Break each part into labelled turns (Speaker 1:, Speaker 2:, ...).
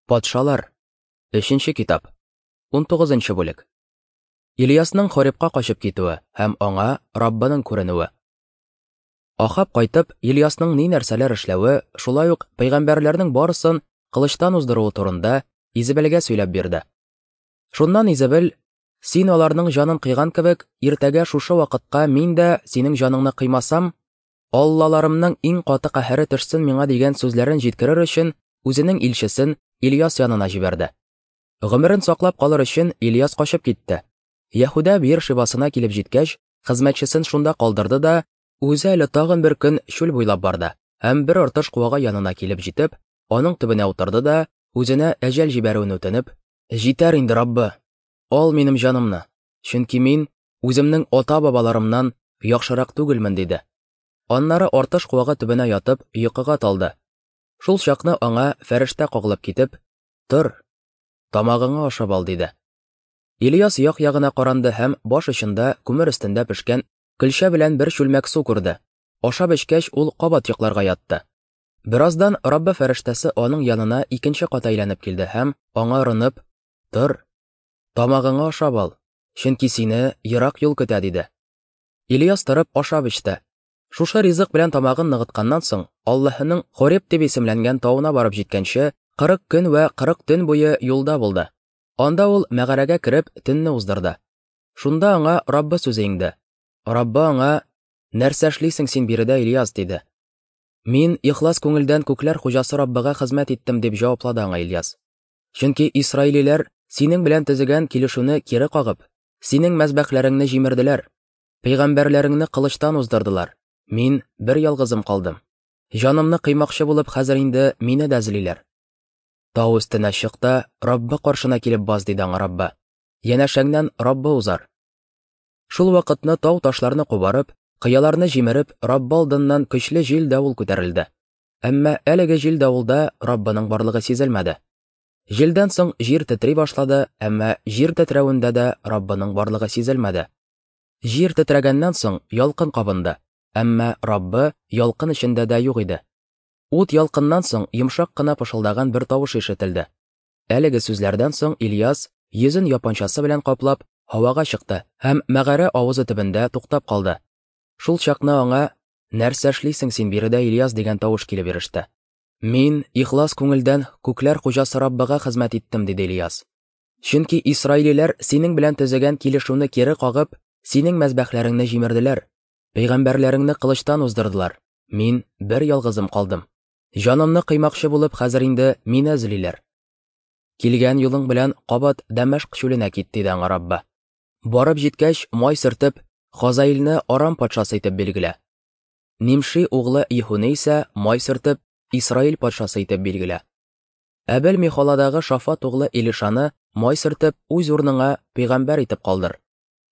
Speaker 1: Патшалар. Өченче китап. 19 бүлек. Ильясның Хоребка качып китүе һәм аңа Раббының күренүе. Ахаб кайтып, Ильясның ни нәрсәләр эшләве, шулай ук пәйгамбәрләрнең барысын кылычтан уздыруы турында Изебелгә сөйләп бирде. Шуннан Изебел, "Син аларның җанын кыйган кебек, иртәгә шушы вакытка мин дә синең җаныңны кыймасам, Аллаларымның иң каты каһәре төшсен миңа дигән сүзләрен җиткерер өчен үзенең илчесен Ильяс янына җибәрде. Гомерен саклап калыр өчен Ильяс качып китте. Яһүдә Бир Шибасына килеп җиткәч, хезмәтчесен шунда калдырды да, үзе әле тагын бер көн чүл буйлап барды һәм бер артыш куагы янына килеп җитеп, аның төбенә утырды да, үзенә әҗәл җибәрүен үтенеп, «Җитәр инде, Раббы, ал минем җанымны, чөнки мин үземнең ата-бабаларымнан яхшырак түгелмен, диде. Аннары артыш куагы төбенә ятып, йокыга талды. Шул чакны аңа фәрештә кагылып китеп, Тор, тамагыңа ашап ал, диде. Ильяс як-ягына каранды һәм баш очында күмер өстендә пешкән көлчә белән бер чүлмәк су күрде. Ашап эчкәч, ул кабат йокларга ятты. Бераздан Раббы фәрештәсе аның янына икенче кат әйләнеп килде һәм аңа орынып, Тор, тамагыңа ашап ал, чөнки сине ерак юл көтә, диде. Ильяс торып ашап эчте. Шушы ризык белән тамагын ныгытканнан соң, Аллаһының Хореб дип исемләнгән тавына барып җиткәнче, 40 көн вә 40 төн буе юлда булды. Анда ул мәгарәгә кереп, төнне уздырды. Шунда аңа Раббы сүзе иңде. Раббы аңа, Нәрсә эшлисең син биредә, Ильяс, диде. Мин ихлас күңелдән күкләр хуҗасы Раббыга хезмәт иттем, дип җаваплады аңа Ильяс. Чөнки исраилиләр синең белән төзегән килешүне кире кагып, синең мәзбәхләреңне җимерделәр, пәйгамбәрләреңне кылычтан уздырдылар. Мин бер ялгызым калдым. Җанымны кыймакчы булып хәзер инде мине дә эзлиләр. Тау өстенә чык та Раббы каршына килеп бас, диде аңа Раббы. Янәшәңнән Раббы узар. Шул вакытны тау ташларны кубарып, кыяларны җимереп, Раббы алдыннан көчле җил-давыл күтәрелде. Әмма әлеге җил-давылда Раббының барлыгы сизелмәде. Җилдән соң җир тетри башлады, әмма җир тетрәвендә дә Раббының барлыгы сизелмәде. Җир тетрәгәннән соң ялкын кабынды, әмма Раббы ялкын эчендә дә юк иде. Ут ялкыннан соң йомшак кына пышылдаган бер тавыш ишетелде. Әлеге сүзләрдән соң Ильяс, йөзен япанчасы белән каплап, һавага чыкты һәм мәгарә авызы төбендә туктап калды. Шул чакны аңа, Нәрсә эшлисең син биредә, Ильяс, дигән тавыш килеп иреште. Мин ихлас күңелдән күкләр хуҗасы Раббыга хезмәт иттем, диде Ильяс. Чөнки исраилиләр синең белән төзегән килешүне кире кагып, синең мәзбәхләреңне җимерделәр, пәйгамбәрләреңне кылычтан уздырдылар. Мин бер ялгызым калдым. Җанымны кыймакчы булып, хәзер инде мине эзлиләр. Килгән юлың белән кабат Дәмәшк чүленә кит, диде аңа Раббы. Барып җиткәч, май сөртеп, Хазаилне Арам патшасы итеп билгелә. Нимши углы Иһуны исә май сөртеп, Исраил патшасы итеп билгелә. Әбел Михоладагы Шафат углы Илишаны май сөртеп, үз урыныңа пәйгамбәр итеп калдыр.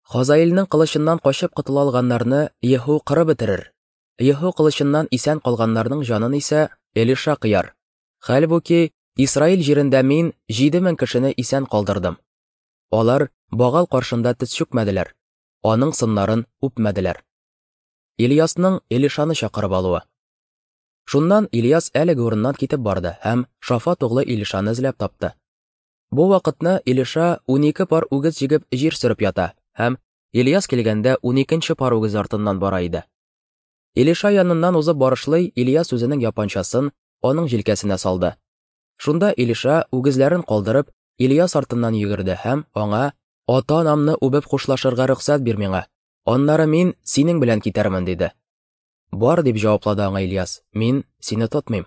Speaker 1: Хазаилнең кылычыннан качып котыла алганнарны Еһу кырып бетерер. Еһу кылычыннан исән калганнарның җанын исә Элиша кыяр. Хәлбуки, Исраил җирендә мин 7000 кешене исән калдырдым. Алар Багал каршында тез чүкмәделәр, аның сыннарын үпмәделәр. Ильясның Элишаны чакырып алуы. Шуннан Ильяс әлеге урыннан китеп барды һәм Шафат углы Илишаны эзләп тапты. Бу вакытны Илиша 12 пар үгез җигеп җир сөреп ята һәм Ильяс килгәндә 12 пар үгез артыннан бара иде. Илиша яныннан узып барышлый Ильяс үзенең япанчасын аның җилкәсенә салды. Шунда Илиша үгезләрен калдырып Ильяс артыннан йөгерде һәм аңа «Ата-анамны үбеп хушлашырга рөхсәт бир миңа, Аннары мин синең белән китәрмен, диде. Бар, дип җаваплады аңа Ильяс, мин сине тотмыйм.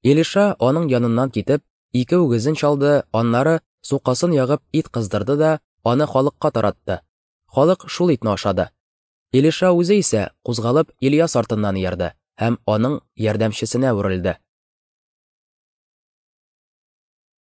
Speaker 1: Илиша аның яныннан китеп, ике үгезен чалды, аннары сукасын ягып ит кыздырды да, аны халыкка таратты. Халык шул итне ашады. Илиша үзе исә, кузгалып, Ильяс артыннан иярде һәм аның ярдәмчесенә әверелде.